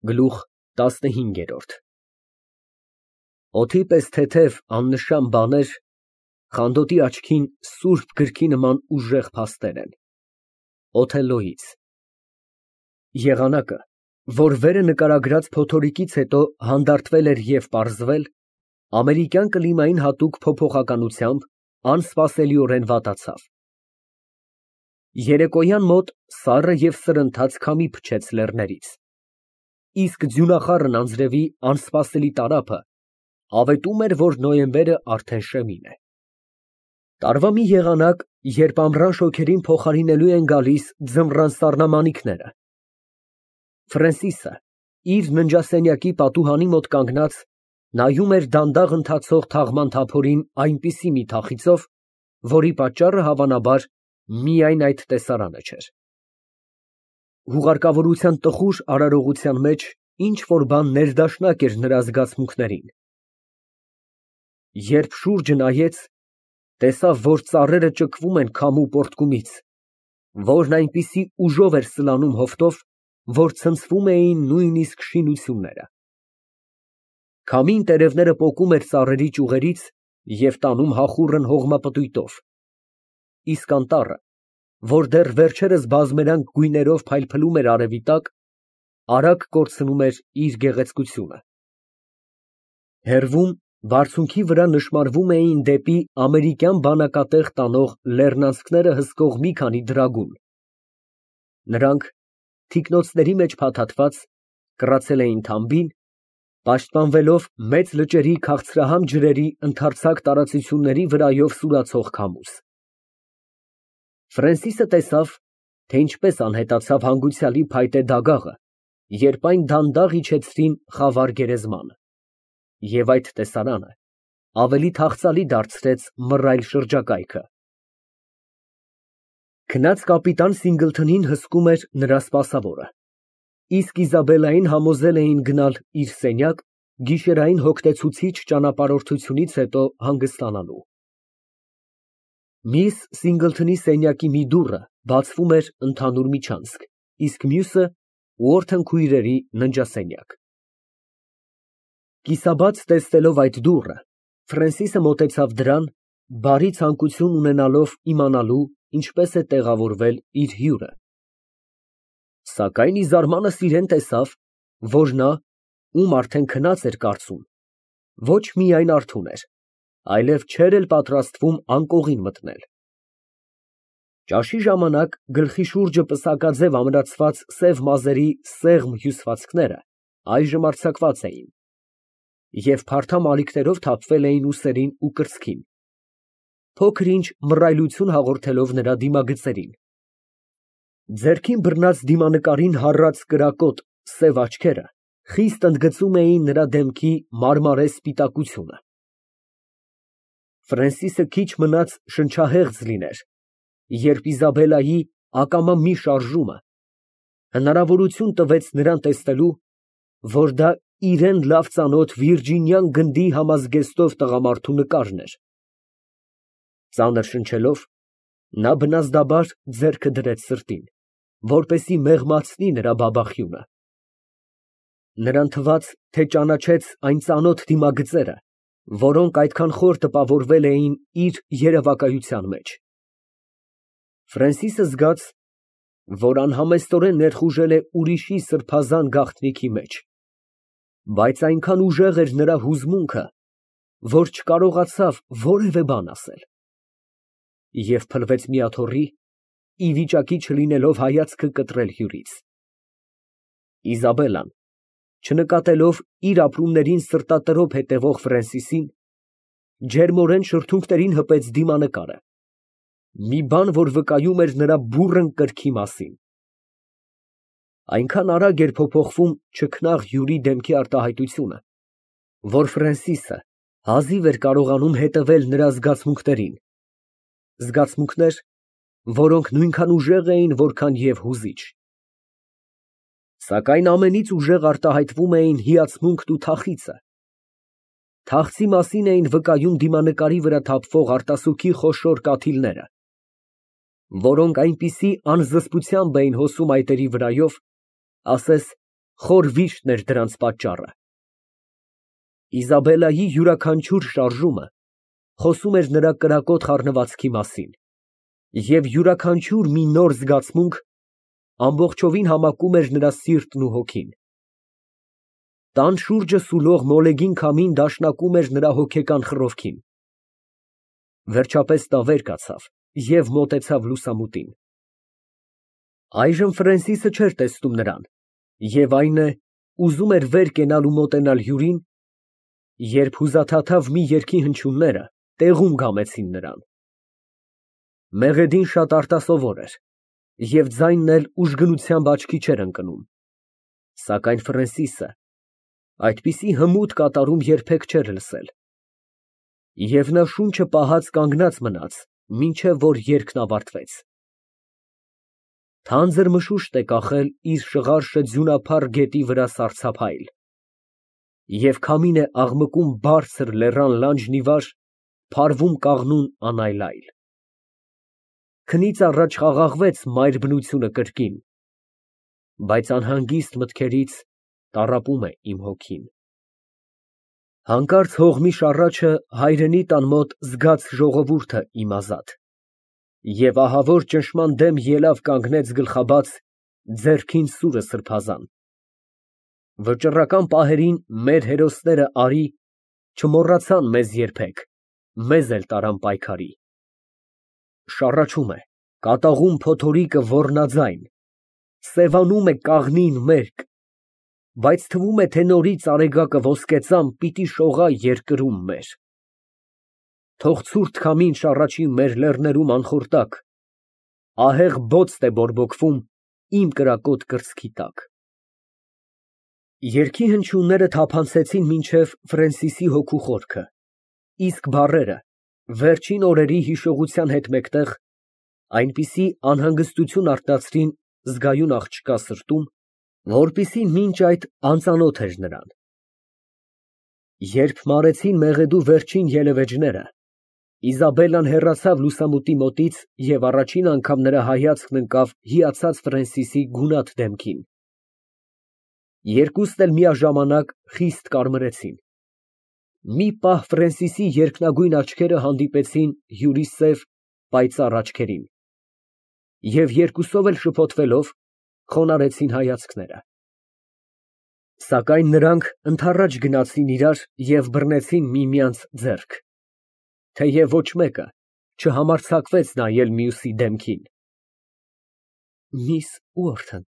Գլուխ 15 Օդի պես թեթև աննշան բաներ Խանդոտի աչքին սուրբ գրքի նման ուժեղ փաստեր են։ Օթելլոյից Եղանակը, որ վերը նկարագրած փոթորիկից հետո հանդարտվել էր և պարզվել, ամերիկյան կլիմային հատուկ փոփոխականությամբ անսպասելիորեն վատացավ։ Երեկոյան մոտ սառը և սրընթաց քամի փչեց լեռներից, իսկ ձյունախառն անձրևի անսպասելի տարափը ավետում էր, որ նոյեմբերը արդեն շեմին է։ Տարվա մի եղանակ, երբ ամռան շոգերին փոխարինելու են գալիս ձմռան սառնամանիքները։ Ֆրենսիսը իր ննջասենյակի պատուհանի մոտ կանգնած նայում էր դանդաղ ընթացող թաղման թափորին այնպիսի մի թախիծով, որի պատճառը հավանաբար միայն այդ տեսարանը չէր։ Հուղարկավորության տխուր արարողության մեջ ինչ-որ բան ներդաշնակ էր նրա զգացմունքներին։ Երբ շուրջը նայեց, տեսավ, որ ծառերը ճկվում են քամու պոռթկումից, որն այնպիսի ուժով էր սլանում հովտով, որ ցնցվում էին նույնիսկ շինությունները։ Քամին տերևները պոկում էր ծառերի ճյուղերից և տանում հախուռն հողմապտույտով, իսկ անտառը, որ դեռ վերջերս բազմերանգ գույներով փայլփլում էր արևի տակ, արագ կորցնում էր իր գեղեցկությունը։ Հեռվում, բարձունքի վրա նշմարվում էին դեպի ամերիկյան բանակատեղ տանող լեռնանցքները հսկող մի քանի դրագուն։ Նրանք, թիկնոցների մեջ փաթաթված, կռացել էին թամբին, պաշտպանվելով մեծ լճերի քաղցրահամ ջրերի ընդարձակ տարածությունների վրայով սուրացող քամուց։ Ֆրենսիսը տեսավ, թե ինչպես անհետացավ հանգուցյալի փայտե դագաղը, երբ այն դանդաղ իջեցրին խավար գերեզմանը, և այդ տեսարանը ավելի թախծալի դարձրեց մռայլ շրջակայքը։ Քնած կապիտան Սինգլթոնին հսկում էր նրա սպասավորը, իսկ Իզաբելլային համոզել էին գնալ իր սենյակ գիշերային հոգնեցուցիչ ճանապարհորդությունից հետո հանգստանալու։ Միս Սինգլթոնի սենյակի մի դուռը բացվում էր ընդհանուր միջանցք, իսկ մյուսը Ուորթեն քույրերի ննջասենյակ։ Կիսաբաց տեսնելով այդ դուռը, Ֆրենսիսը մոտեցավ դրան, բարի ցանկություն ունենալով իմանալու ինչպես է տեղավորվել իր հյուրը։ Սակայն ի զարմանս իրեն տեսավ, որ նա, ում արդեն քնած էր կարծում, ոչ միայն արթուն էր, այլև չէր էլ պատրաստվում անկողին մտնել։ Ճաշի ժամանակ գլխի շուրջը պսակաձև ամրացված սև մազերի սեղմ հյուսվածքները այժմ արձակված էին և փարթամ ալիքներով թափվել էին ուսերին ու կրծքին, փոքր֊ինչ մռայլություն հաղորդելով նրա դիմագծերին։ Ձեռքին բռնած դիմանկարին հառած կրակոտ սև աչքերը խիստ ընդգծում էին նրա դեմքի մարմարե սպիտակությունը։ Ֆրենսիսը քիչ մնաց շնչահեղձ լիներ, երբ Իզաբելլայի ակամա մի շարժումը հնարավորություն տվեց նրան տեսնելու, որ դա իրան լավ ծանոթ վիրջինյան գնդի համազգեստով տղամարդու նկարն էր։ Ծանր շնչելով, նա բնազդաբար ձեռքը դրեց սրտին, որպեսզի մեղմացնի նրա բաբախյունը։ Նրան թվաց, թե ճանաչեց այն ծանոթ դիմագծերը, որոնք այդքան խոր տպավորվել էին իր երևակայության մեջ։ Ֆրենսիսը զգաց, որ անհամեստորեն ներխուժել է ուրիշի սրբազան գաղտնիքի մեջ, բայց այնքան ուժեղ էր նրա հուզմունքը, որ չկարողացավ որևէ բան ասել, և փլվեց մի աթոռի, ի վիճակի չլինելով հայացքը կտրել հյուրից։ Իզաբելլան, չնկատելով իր ապրումներին սրտատրոփ հետևող Ֆրենսիսին, ջերմորեն շրթունքներին հպեց դիմանկարը, մի բան, որ վկայում էր նրա բուռն կրքի մասին։ Այնքան արագ էր փոփոխվում չքնաղ հյուրի դեմքի արտահայտությունը, որ Ֆրենսիսը հազիվ էր կարողանում հետևել նրա զգացմունքներին, զգացմունքներ, որոնք նույնքան ուժեղ էին, որքան և հուզիչ։ Սակայն ամենից ուժեղ արտահայտվում էին հիացմունքն ու թախիծը։ Թախծի մասին էին վկայում դիմանկարի վրա թափվող արտասուքի խոշոր կաթիլները, որոնք այնպիսի անզսպությամբ էին հոսում այտերի վրայով, ասես խոր վիշտն էր դրանց պատճառը։ Իզաբելլայի յուրաքանչյուր շարժումը խոսում էր նրա կրակոտ խառնվածքի մասին, և յուրաքանչյուր մի նոր զգացմունք ամբողջովին համակում էր նրա սիրտն ու հոգին։ Տան շուրջը սուլող մոլեգին քամին դաշնակում էր նրա հոգեկան խռովքին։ Վերջապես նա վեր կացավ և մոտեցավ լուսամուտին։ Այժմ Ֆրենսիսը չէր տեսնում նրան, և այն է, ուզում էր վեր կենալ ու մոտենալ հյուրին, երբ հուզաթաթավ մի երգի հնչյունները տեղում կամեցին նրան։ Մեղեդին շատ արտասովոր էր, և ձայնն էլ ուժգնությամբ աչքի չէր ընկնում, սակայն Ֆրենսիսը այդպիսի հմուտ կատարում երբեք չէր լսել, և նա շունչը պահած կանգնած մնաց, մինչև որ երգն ավարտվեց։ Թանձր մշուշտ է կախել իր շղարշը ձյունափառ գետի վրա սառցափայլ, և քամին է աղմկում բարձր լեռան լանջն ի վար, փարվում կաղնուն անայլայլ։ Քնից առաջ խաղաղվեց մայր բնությունը կրկին, բայց անհանգիստ մտքերից տառապում է իմ հոգին։ Հանկարծ հողմի շառաչը հայրենի տան մոտ զգաց ժողովուրդը իմ ազատ, և ահավոր ճնշման դեմ ելավ կանգնեց գլխաբաց, ձեռքին սուրը սրբազան։ Վճռական պահերին մեր հերոսները արի չմոռացան մեզ երբեք, մեզ էլ տարան պայքարի։ Շառաչում է, կատաղում փոթորիկը ոռնաձայն, սևանում է կաղնին մերկ, բայց թվում է, թե նորից արեգակը ոսկեծամ պիտի շողա երկրում մեր։ Թող ցուրտ քամին շառաչի մեր լեռներում անխորտակ, ահեղ բոցտ է բորբոքվում իմ կրակոտ կրծքի տակ։ Երգի հնչյունները թափանցեցին մինչև Ֆրենսիսի հոգու խորքը, իսկ բառերը, վերջին օրերի հիշողության հետ մեկտեղ, այնպիսի անհանգստություն արտացրին զգայուն աղջկա սրտում, որպիսի մինչ այդ անծանոթ էր նրան։ Երբ մարեցին մեղեդու վերջին ելևէջները, Իզաբելլան հեռացավ լուսամուտի մոտից և առաջին անգամ նրա հայացքն ընկավ հիացած Ֆրենսիսի գունատ դեմքին։ Երկուսն էլ միաժամանակ խիստ կարմրեցին։ Մի պահ Ֆրենսիսի երկնագույն աչքերը հանդիպեցին հյուրի սև, պայծառ աչքերին, և երկուսով էլ շփոթվելով, խոնարհեցին հայացքները։ Սակայն նրանք ընդառաջ գնացին իրար և բռնեցին միմյանց ձեռք, թեև ոչ մեկը չհամարձակվեց նայել մյուսի դեմքին։ Միս Ուորթն,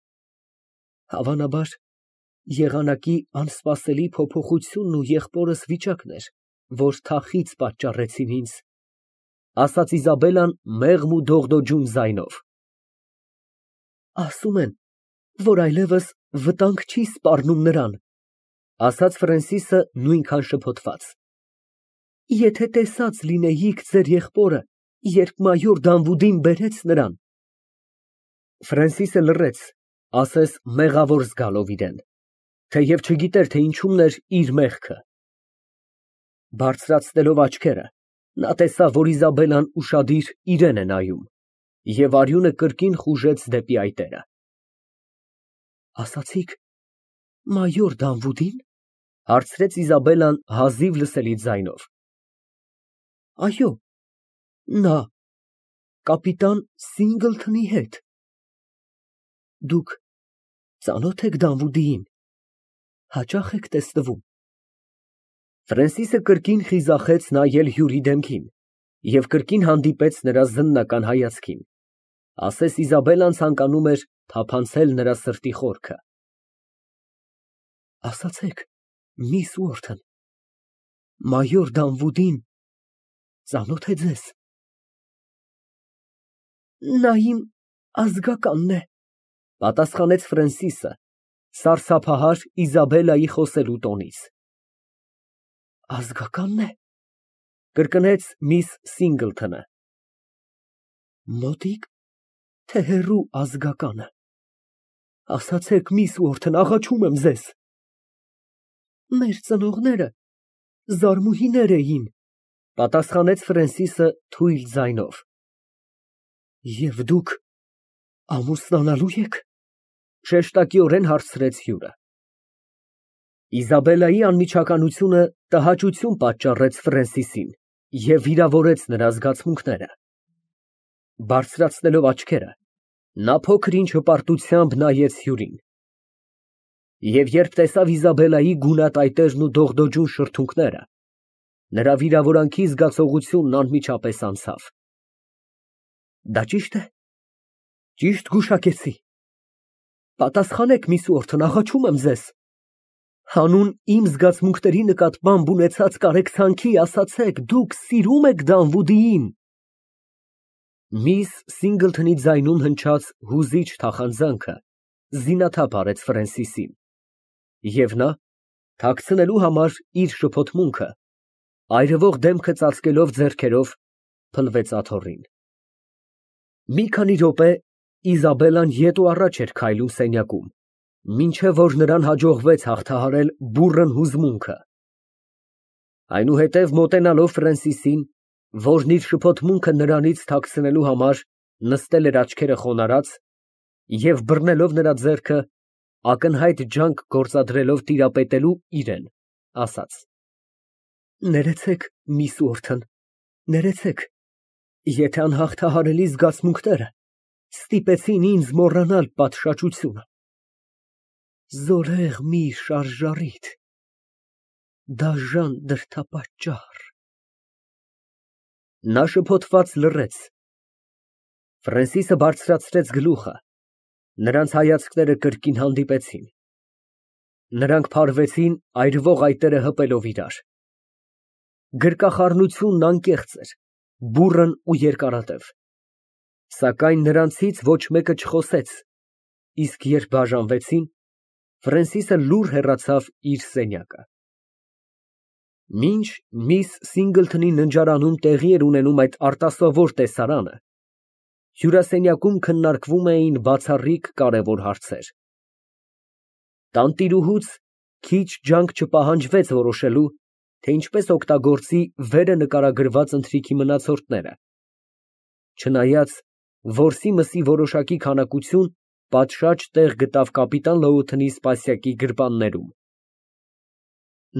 հավանաբար եղանակի անսպասելի փոփոխությունն ու եղբորս վիճակն էր, որ թախիծ պատճառեցին ինձ, ֊ ասաց Իզաբելլան մեղմ ու դողդոջուն ձայնով։ Ասում են, որ այլևս վտանգ չի սպառնում նրան, ֊ ասաց Ֆրենսիսը նույնքան շփոթված։ Եթե տեսած լինեիք ձեր եղբորը, երբ մայոր Դանվուդին բերեց նրան… Ֆրենսիսը լռեց, ասես մեղավոր զգալով իրեն, թեև չգիտեր, թե ինչումն էր իր մեղքը։ Բարձրացնելով աչքերը, նա տեսավ, որ Իզաբելլան ուշադիր իրան է նայում, և արյունը կրկին խուժեց դեպի այտերը։ Ասացի՞ք մայոր Դանվուդի՞ն, ֊ հարցրեց Իզաբելլան հազիվ լսելի ձայնով։ Այո, նա կապիտան Սինգլթոնի հետ։ Դուք ծանո՞թ եք Դանվուդիին, հաճա՞խ եք տեսնվում։ Ֆրենսիսը կրկին խիզախեց նայել հյուրի դեմքին և կրկին հանդիպեց նրա զննական հայացքին, ասես Իզաբելլան ցանկանում էր թափանցել նրա սրտի խորքը։ Ասացեք, միս Ուորթն, մայոր Դանվուդին ծանո՞թ է ձեզ։ Նա իմ ազգականն է, ֊ պատասխանեց Ֆրենսիսը սարսափահար Իզաբելլայի խոսելու տոնից։ Ազգակա՞նն է, ֊ կրկնեց միս Սինգլթոնը։ Մոտիկ, թե հեռու ազգականը, ասացեք, միս Ուորթն, աղաչում եմ ձեզ։ Մեր ծնողները զարմուհիներ էին, ֊ պատասխանեց Ֆրենսիսը թույլ ձայնով։ Եվ դուք ամուսնանալո՞ւ եք, ֊ շեշտակիորեն հարցրեց հյուրը։ Իզաբելլայի անմիջականությունը տհաճություն պատճառեց Ֆրենսիսին և վիրավորեց նրա զգացմունքները։ Բարձրացնելով աչքերը, նա փոքր-ինչ հպարտությամբ նայեց հյուրին։ Եվ երբ տեսավ Իզաբելլայի գունատայտերն ու դողդոջուն շրթունքները, նրա վիրավորանքի զգացողությունն անմիջապես անցավ։ Դա ճի՞շտ է։ Ճիշտ գուշակեցի։ Պատասխանեք, միս Ուորթն, աղաչում եմ ձեզ։ Հանուն իմ զգացմունքների նկատմամբ ունեցած կարեկցանքի ասացեք, դուք սիրո՞ւմ եք Դանվուդիին։ Միս Սինգլթոնի ձայնում հնչած հուզիչ թախանձանքը զինաթափ արեց Ֆրենսիսին, և նա, թաքցնելու համար իր շփոթմունքը, այրվող դեմքը ծածկելով ձեռքերով, փլվեց աթոռին։ Մի քանի րոպե Իզաբելլան ետ ու առաջ էր քայլում սենյակում, մինչև որ նրան հաջողվեց հաղթահարել բուռն հուզմունքը։ Այնուհետև մոտենալով Ֆրենսիսին, որն իր շփոթմունքը նրանից թաքցնելու համար նստել էր աչքերը խոնարհած, և բռնելով նրա ձեռքը, ակնհայտ ջանք գործադրելով տիրապետելու իրան, ասաց. Ներեցեք, միս Ուորթն, ներեցեք, եթե անհաղթահարելի զգացմունքները ստիպեցին ինձ մոռանալ պատշաճությունը։ Զորեղ մի շարժառիթ, դաժան դրդապատճառ։ Նա շփոթված լռեց։ Ֆրենսիսը բարձրացրեց գլուխը, նրանց հայացքները կրկին հանդիպեցին։ Նրանք փարվեցին այրվող այտերը հպելով իրար։ Գրկախառնությունն անկեղծ էր, բուռն ու երկարատև, սակայն նրանցից ոչ մեկը չխոսեց, իսկ երբ բաժանվեցին, Ֆրենսիսը լուռ հեռացավ իր սենյակը։ Մինչ միս Սինգլթոնի ննջարանում տեղի էր ունենում այդ արտասովոր տեսարանը, հյուրասենյակում քննարկվում էին բացառիկ կարևոր հարցեր։ Տանտիրուհուց քիչ ջանք չպահանջվեց որոշելու, թե ինչպես օգտագործի վերը նկարագրված ընթրիքի մնացորդները, չնայած որսի մսի որոշակի քանակություն պատշաճ տեղ գտավ կապիտան Լոութոնի սպասյակի գրպաններում։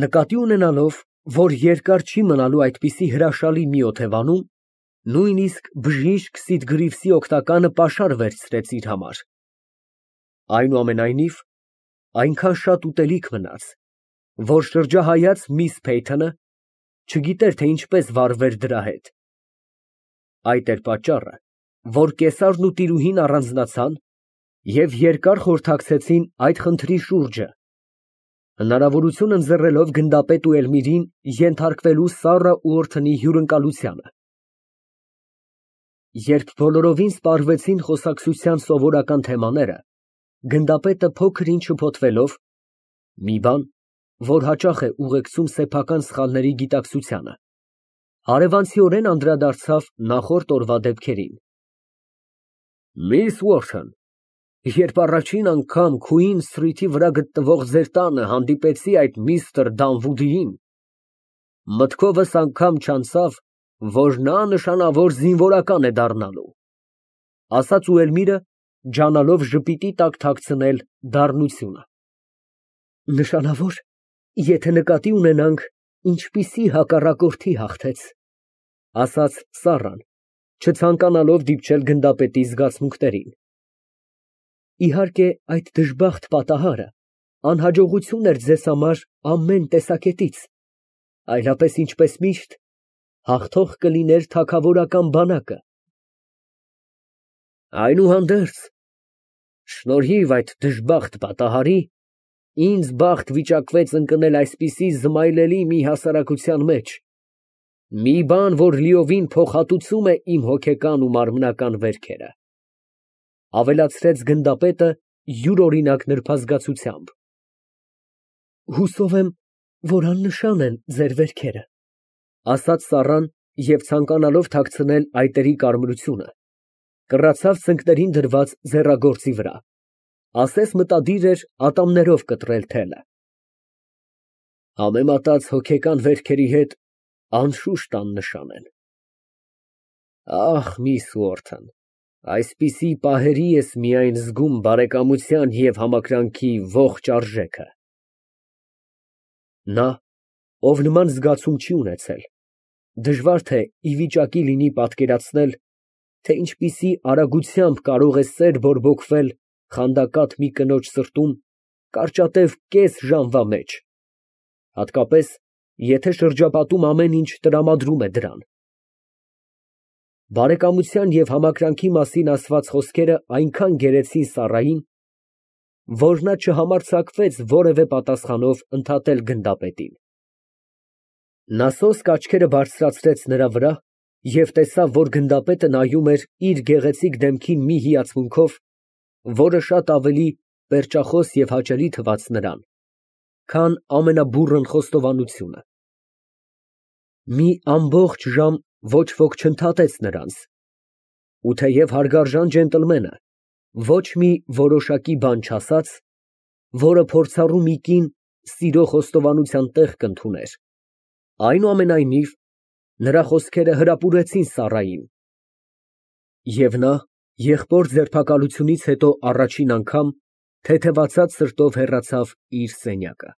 Նկատի ունենալով, որ երկար չի մնալու այդպիսի հրաշալի մի օթևանում, նույնիսկ բժիշկ Սիդգրիվսի օգնականը պաշար վերցրեց իր համար։ Այնուամենայնիվ, այնքան շատ ուտելիք մնաց, որ շրջահայաց միս Փեյթոնը չգիտեր, թե ինչպես վարվեր դրա հետ։ Այդ էր պատճառը, որ կեսարն ու տիրուհին առանձնացան և երկար խորհրդակցեցին այդ խնդրի շուրջը, հնարավորություն ընձեռելով գնդապետ ու Էլմիրին ենթարկվելու Սառա Ուորթոնի հյուրընկալությանը։ Երբ բոլորովին սպառվեցին խոսակցության սովորական թեմաները, գնդապետը փոքր-ինչ շփոթվելով (մի բան, որ հաճախ է ուղեկցում սեփական սխալների գիտակցությանը) հարևանցիորեն անդրադարձավ նախորդ օրվա դեպքերին։ Միս Ուորթն, երբ առաջին անգամ Քուին Սթրիթի վրա գտնվող ձեր տանը հանդիպեցի այդ միստր Դանվուդիին, մտքովս անգամ չանցավ, որ նա նշանավոր զինվորական է դառնալու, ասաց Էլմիրը, ջանալով ժպիտի տակ թաքցնել դառնությունը։ Նշանավոր, եթե նկատի ունենանք, ինչպիսի հակառակորդի հաղթեց, ասաց Սառան, չցանկանալով դիպչել գնդապետի զգացմունքներին։ Իհարկե, այդ դժբախտ պատահարը անհաջողություն էր ձեզ համար ամեն տեսակետից, այլապես, ինչպես միշտ, հաղթող կլիներ թագավորական բանակը։ Այնուհանդերձ, շնորհիվ այդ դժբախտ պատահարի, ինձ բախտ վիճակվեց ընկնել այսպիսի զմայլելի մի հասարակության մեջ, մի բան, որ լիովին փոխհատուցում է իմ հոգեկան ու մարմնական վերքերը, ավելացրեց գնդապետը յուրօրինակ նրբազգացությամբ։ Հուսով եմ, որ աննշան են ձեր վերքերը, ասաց Սառան և ցանկանալով թաքցնել այտերի կարմրությունը, կռացավ ծնկներին դրված ձեռագործի վրա, ասես մտադիր էր ատամներով կտրել թելը։ Համեմատած հոգեկան վերքերի հետ անշուշտ աննշան են։ Ախ, միս Ուորթն, այսպիսի պահերի ես միայն զգում բարեկամության և համակրանքի ողջ արժեքը։ Նա, ով նման զգացում չի ունեցել, դժվար թե ի վիճակի լինի պատկերացնել, թե ինչպիսի արագությամբ կարող է սեր բորբոքվել խանդակատ մի կնոջ սրտում կարճատև կես ժամվա մեջ, հատկապես, եթե շրջապատում ամեն ինչ տրամադրում է դրան։ Բարեկամության և համակրանքի մասին ասված խոսքերը այնքան գերեցին Սառային, որ նա չհամարձակվեց որևէ պատասխանով ընդհատել գնդապետին։ Նա սոսկ աչքերը բարձրացրեց նրա վրա և տեսավ, որ գնդապետը նայում էր իր գեղեցիկ դեմքին մի հիացմունքով, որը շատ ավելի պերճախոս և հաճելի թվաց նրան, քան ամենաբուռն խոստովանությունը։ Մի ամբողջ ժամ ոչ ոք չընդհատեց նրանց, ու թեև հարգարժան ջենտլմենը ոչ մի որոշակի բան չասաց, որը փորձառու մի կին սիրո խոստովանության տեղ կընդուներ, այնուամենայնիվ, նրա խոսքերը հրապուրեցին Սառային, և նա եղբոր ձերբակալությունից հետո առաջին անգամ թեթևացած սրտով հեռացավ իր սենյակը։